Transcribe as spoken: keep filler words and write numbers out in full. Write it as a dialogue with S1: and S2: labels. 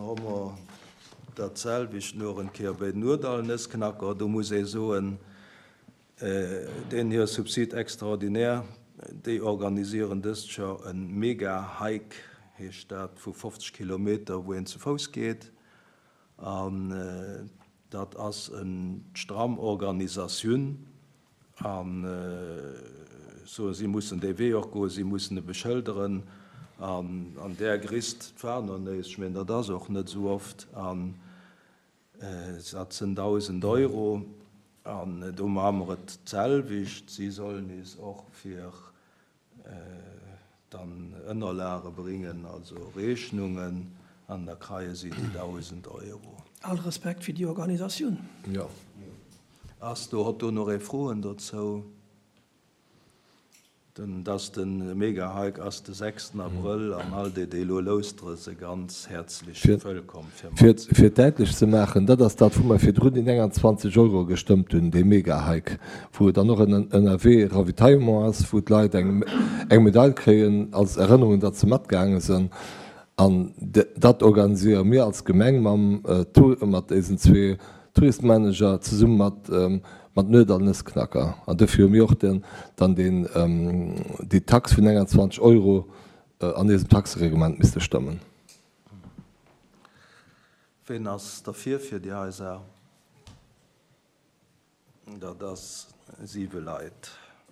S1: hu mer dat selwecht nach eng Kéier bei den Nurdall-Nëssknacker. Do muss ee soen, deen hir Subside extraordinaire, déi organisieren dëst Joer e Mega-Hike, heescht dat, vu fofzeg Kilometer, wou een zu Fouss geet. An dat ass eng stramm Organisatioun. An soen, si mussen dee Wee och goen, si mussen e beschëlderen. An an där Grisst, d'war nach néis, ech mengen, dat ass och net esou oft, an dat sinn dausend Euro. An do maache mer et d'selwecht. Si sollen is och fir dann Ënnerlage bréngen, also Rechnungen, an da kreie si déi dausend Euro.
S2: All Respekt fir déi Organisatioun.
S1: Jo. Ass do, hott do nach ee Froen dozou? Den, dass de Mega-Hike ass de sechsten Abrëll an all déi, déi elo loustere se ganz häerzlech wëllkomm fir
S3: Fir,
S1: mat.
S3: fir et däitlech ze maachen, dat ass dat, wou mer virdrun déi nénganzwanzeg Euro gestëmmt hunn, dee Mega-Hike, wou et dann och en ënnerwee Ravitaillement ass, wou d'Leit eng, eng Medail kréien als Erënnerung, datt se matgaange sinn. An dat organiséiere mir als Gemeng mam, mat eisen zwee Touristmanager zesumme mat, mat Nuet an Nëssknacker. An dofir hu mir och den, dann den, déi Tax vun nénganzwanzeg Euro an eisem Taxereglement misste stëmmen.
S1: Ween ass derfir fir déi hei Saach? Dat ass siwe Leit.